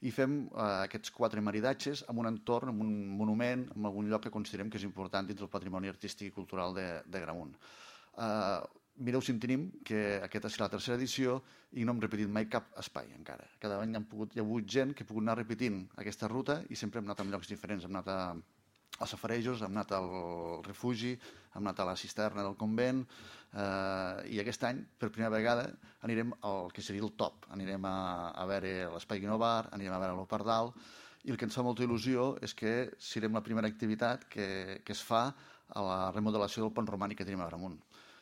i fem aquests 4 maridatges en un entorn, en un monument, en algun lloc que considerem que és important dins del patrimoni artístic i cultural de Gramunt. Mireu si en tenim, que aquesta serà la 3a edició i no hem repetit mai cap espai encara. Cada any hi ha hagut gent que ha pogut anar repetint aquesta ruta i sempre hem anat a llocs diferents. Hem anat als safarejos, hem anat al refugi, hem anat a la cisterna del convent i aquest any, per primera vegada, anirem al que seria el top. Anirem a veure l'Espai Guinovar, anirem a veure l'Opardal i el que ens fa molta il·lusió és que serem la primera activitat que es fa a la remodelació del pont romànic que tenim a Gramunt.